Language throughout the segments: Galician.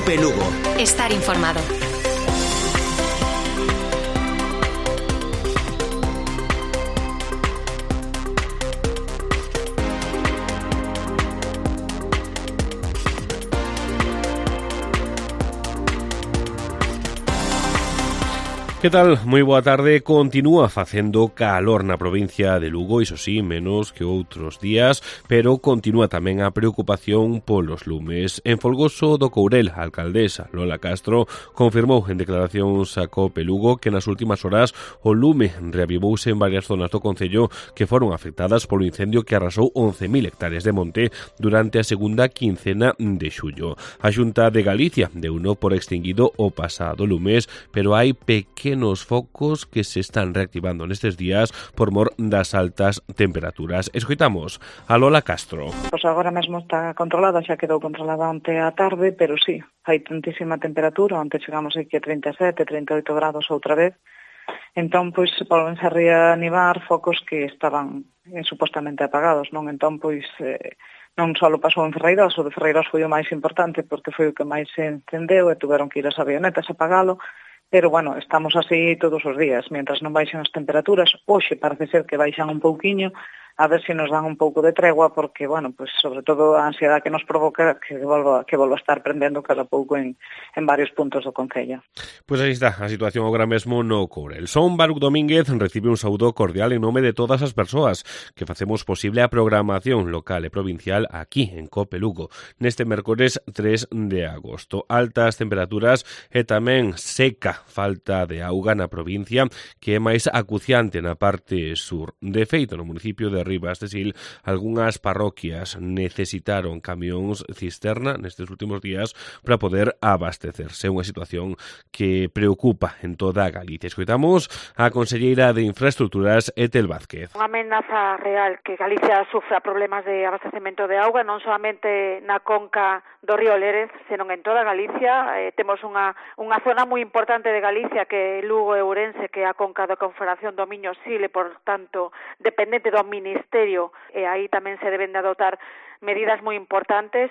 COPE Lugo. Estar informado. Que tal? Moi boa tarde. Continúa facendo calor na provincia de Lugo, iso sí, menos que outros días, pero continúa tamén a preocupación polos lumes. En Folgoso do Courel, a alcaldesa Lola Castro confirmou en declaracións a COPE Lugo que nas últimas horas o lume reavivouse en varias zonas do concello que foron afectadas polo incendio que arrasou 11.000 hectáreas de monte durante a segunda quincena de xullo. A Xunta de Galicia deuno por extinguido o pasado lumes, pero hai pequenos focos que se están reactivando nestes días por mor das altas temperaturas. Escoitamos a Lola Castro. Pois agora mesmo está controlada, xa quedou controlada onte á tarde, pero sí, hai tantísima temperatura, onte chegamos aquí a 37, 38 grados outra vez. Entón, pois, volvense a reanivar focos que estaban supostamente apagados, non? Entón, pois, non só pasou en Ferreiros, o de Ferreiros foi o máis importante porque foi o que máis se encendeu e tuveron que ir as avionetas a apagalo. Pero, bueno, estamos así todos os días, mientras non baixan as temperaturas. Hoxe parece ser que baixan un pouquiño, a ver se nos dan un pouco de tregua, porque, bueno, pues sobre todo a ansiedade que nos provoca que volva a estar prendendo cada pouco en varios puntos do concello. Pois aí está a situación agora mesmo no Courel. Son Baruc Domínguez recibe un saúdo cordial en nome de todas as persoas que facemos posible a programación local e provincial aquí en COPE Lugo neste mércores 3 de agosto. Altas temperaturas e tamén seca falta de auga na provincia que é máis acuciante na parte sur. De feito, no municipio de Ribas de Sil, algunhas parroquias necesitaron camións cisterna nestes últimos días para poder abastecerse. Unha situación que preocupa en toda Galicia. Escoitamos a conselleira de Infraestructuras, Etel Vázquez. Unha amenaza real que Galicia sufra problemas de abastecemento de auga, non solamente na conca do río Lérez, senón en toda Galicia. Temos unha zona moi importante de Galicia que é Lugo e Ourense, que é a conca da Confederación do Miño-Sil e, por tanto, dependente do Ministerio, e aí tamén se deben de adoptar medidas moi importantes.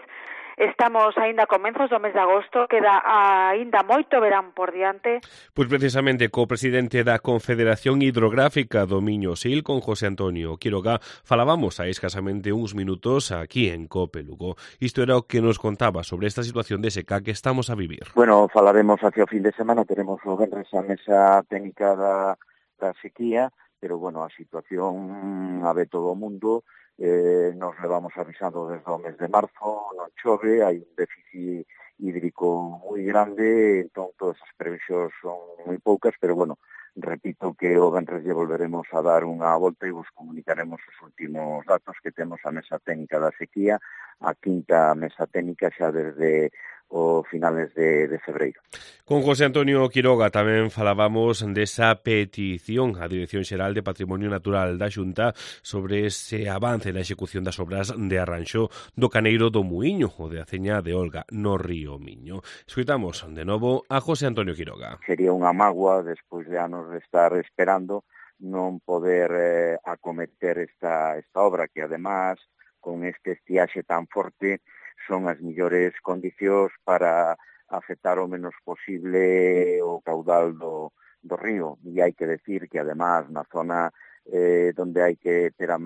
Estamos aínda a comenzos do mes de agosto, queda aínda moito verán por diante. Pois precisamente co presidente da Confederación Hidrográfica do Miño-Sil, con José Antonio Quiroga, falábamos hai escasamente uns minutos aquí en COPE Lugo. Isto era o que nos contaba sobre esta situación de seca que estamos a vivir. Bueno, falaremos hacia o fin de semana, teremos o venres a mesa técnica da sequía, pero, bueno, a situación a ve todo o mundo. Nos levamos avisando desde o mes de marzo, non chove, hai un déficit hídrico moi grande, entón todas as previsións son moi poucas, pero, bueno, repito que o venres lle volveremos a dar unha volta e vos comunicaremos os últimos datos que temos a mesa técnica da sequía, a quinta mesa técnica xa desde o finales de febreiro. Con José Antonio Quiroga tamén falábamos desa petición á Dirección Xeral de Patrimonio Natural da Xunta sobre ese avance na execución das obras de arranxo do Caneiro do Muíño, o de Aceña de Olga, no río Miño. Escoitamos de novo a José Antonio Quiroga. Sería unha mágoa, despois de anos de estar esperando, non poder acometer esta obra que, además, con este estiaxe tan forte, son as millores condicións para afectar o menos posible o caudal do río. E hai que decir que, además, na zona donde hai que ter a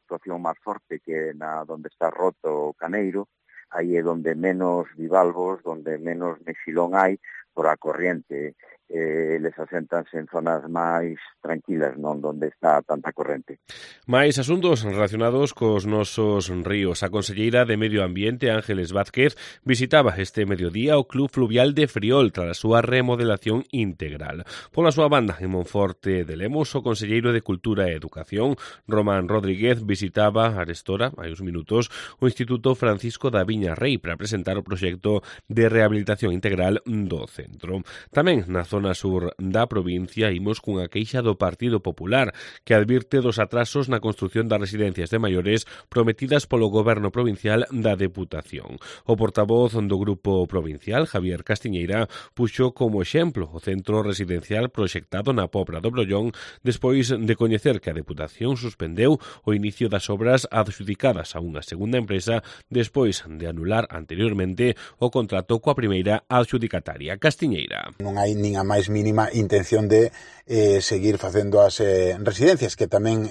actuación máis forte, que na donde está roto o Caneiro, aí é donde menos bivalvos, donde menos mexilón hai por a corriente. Les asentanse en zonas máis tranquilas, non donde está tanta corrente. Mais asuntos relacionados cos nosos ríos. A conselleira de Medio Ambiente, Ángeles Vázquez, visitaba este mediodía o Club Fluvial de Friol tras a súa remodelación integral. Pola súa banda, en Monforte de Lemos, o conselleiro de Cultura e Educación, Román Rodríguez, visitaba arestora, hai uns minutos, o Instituto Francisco da Viña Rei para presentar o proxecto de rehabilitación integral do centro. Tamén na zona zona sur da provincia imos cunha queixa do Partido Popular que advirte dos atrasos na construción das residencias de maiores prometidas polo Goberno provincial da Deputación. O portavoz do Grupo Provincial, Javier Castiñeira, puxo como exemplo o centro residencial proxectado na Pobra do Brollón despois de coñecer que a Deputación suspendeu o inicio das obras adxudicadas a unha segunda empresa despois de anular anteriormente o contrato coa primeira adxudicataria. Castiñeira. Non hai nin a máis mínima intención de seguir facendo as residencias, que tamén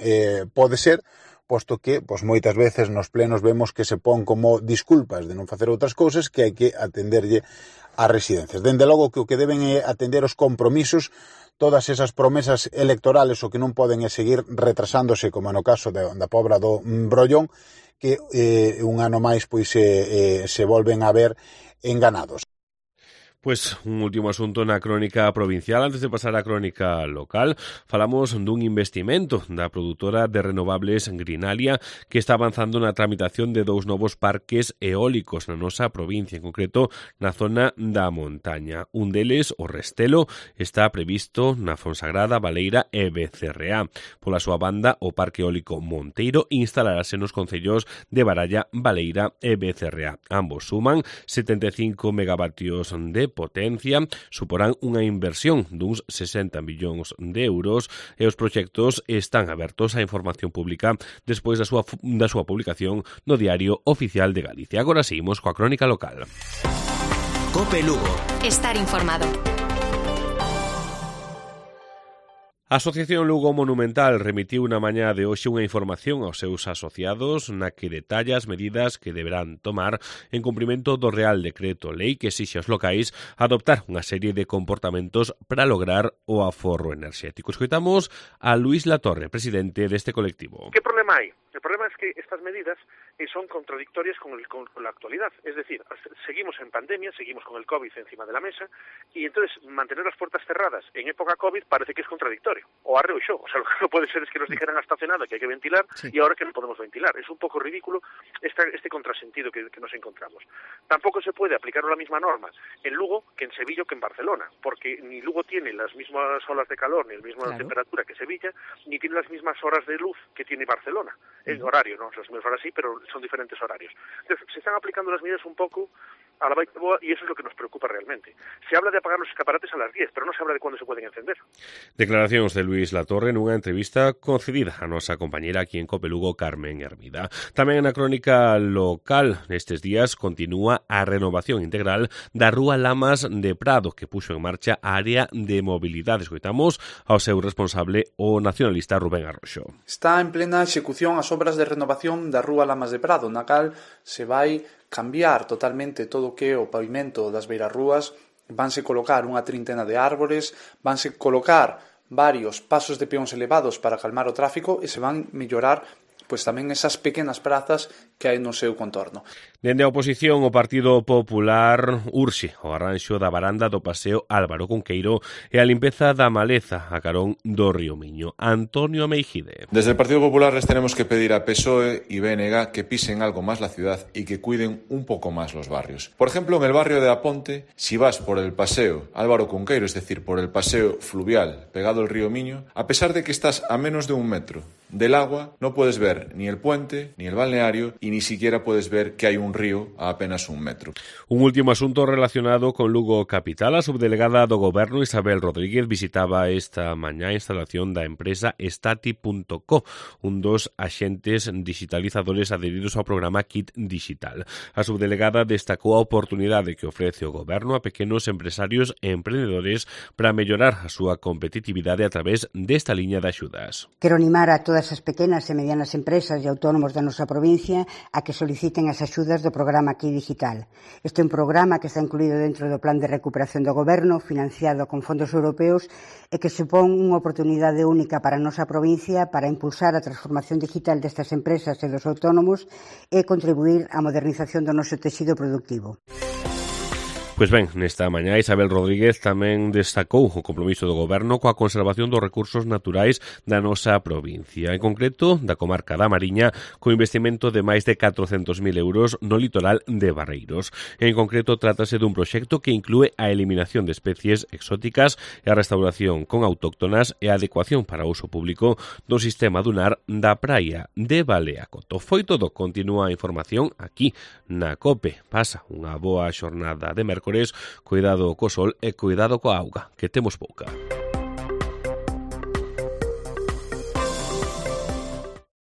pode ser, posto que moitas veces nos plenos vemos que se pon como disculpas de non facer outras cousas que hai que atenderlle ás residencias. Dende logo que o que deben é atender os compromisos, todas esas promesas electorales, o que non poden é seguir retrasándose, como no caso da Pobra do Brollón, que un ano máis se volven a ver enganados. Pois un último asunto na crónica provincial. Antes de pasar á crónica local, falamos dun investimento da produtora de renovables Greenalia que está avanzando na tramitación de 2 novos parques eólicos na nosa provincia, en concreto na zona da montaña. Un deles, o Restelo, está previsto na Fonsagrada, Baleira e Becerreá. Pola súa banda, o Parque Eólico Monteiro instalarase nos concellos de Baralla, Baleira e Becerreá. Ambos suman 75 megavatios de potencia, suporán unha inversión duns 60 millóns de euros e os proxectos están abertos á información pública despois da súa publicación no Diario Oficial de Galicia. Agora seguimos coa crónica local. COPE Lugo. Estar informado. A Asociación Lugo Monumental remitiu na mañá de hoxe unha información aos seus asociados na que detalla as medidas que deberán tomar en cumprimento do Real Decreto Lei que exixe aos locais adoptar unha serie de comportamentos para lograr o aforro enerxético. Escoitamos a Luís Latorre, presidente deste colectivo. ¿Qué problema hai? El problema es que estas medidas son contradictorias con la actualidad. Es decir, seguimos en pandemia, seguimos con el COVID encima de la mesa y entonces mantener las puertas cerradas en época COVID parece que es contradictorio. O arreo yo. O sea, lo que no puede ser es que nos dijeran hasta hace nada que hay que ventilar y ahora que no podemos ventilar. Es un poco ridículo este contrasentido que nos encontramos. Tampoco se puede aplicar la misma norma en Lugo que en Sevilla o que en Barcelona, porque ni Lugo tiene las mismas olas de calor ni la misma temperatura que Sevilla, ni tiene las mismas horas de luz que tiene Barcelona. En horario, no las mismas horas sí, pero son diferentes horarios. Entonces, se están aplicando las medidas un poco a la baita boa y eso es lo que nos preocupa realmente. Se habla de apagar los escaparates a las 10, pero no se habla de cuándo se pueden encender. Declaracións de Luís Latorre nunha entrevista concedida a nosa compañera aquí en COPE Lugo, Carmen Hermida. Tamén na crónica local nestes días continúa a renovación integral da Rúa Lamas de Prado que puxo en marcha a área de mobilidade. Escoitamos ao seu responsable, o nacionalista Rubén Arroxo. Está en plena execución as obras de renovación da Rúa Lamas de Prado, na cal se vai cambiar totalmente todo o que é o pavimento das beirarrúas, vanse colocar unha trintena de árbores, vanse colocar varios pasos de peóns elevados para calmar o tráfico e se van mellorar tamén esas pequenas prazas que hai no seu contorno. Dende a oposición, o Partido Popular urxe o arranxo da varanda do Paseo Álvaro Cunqueiro e a limpeza da maleza a carón do Río Miño. Antonio Meijide. Desde el Partido Popular les tenemos que pedir a PSOE y BNG que pisen algo más la ciudad y que cuiden un poco más los barrios. Por ejemplo, en el barrio de Aponte, si vas por el Paseo Álvaro Cunqueiro, es decir, por el paseo fluvial pegado al Río Miño, a pesar de que estás a menos de 1 metro del agua, no puedes ver ni el puente, ni el balneario y ni siquiera puedes ver que hay un río a apenas 1 metro. Un último asunto relacionado con Lugo Capital. A subdelegada do Goberno Isabel Rodríguez visitaba esta mañá a instalación da empresa Stati.co, un dos axentes digitalizadores adheridos ao programa Kit Digital. A subdelegada destacou a oportunidade que ofrece o Goberno a pequenos empresarios e emprendedores para mellorar a súa competitividade a través desta liña de axudas. Quero animar a todas as pequenas e medianas empresas e autónomos da nosa provincia a que soliciten as axudas do programa Kit Digital. Este é un programa que está incluído dentro do Plan de Recuperación do Goberno, financiado con fondos europeos e que supón unha oportunidade única para a nosa provincia para impulsar a transformación digital destas empresas e dos autónomos e contribuir á modernización do noso tecido productivo. Pois ben, nesta mañá Isabel Rodríguez tamén destacou o compromiso do Goberno coa conservación dos recursos naturais da nosa provincia, en concreto da comarca da Mariña, co investimento de máis de 400.000 euros no litoral de Barreiros. En concreto, trátase dun proxecto que inclúe a eliminación de especies exóticas e a restauración con autóctonas e a adecuación para uso público do sistema dunar da praia de Baleacoto. Foi todo, continúa a información aquí na COPE. Pasa unha boa xornada de mércores, cuidado co sol e cuidado coa auga, que temos pouca.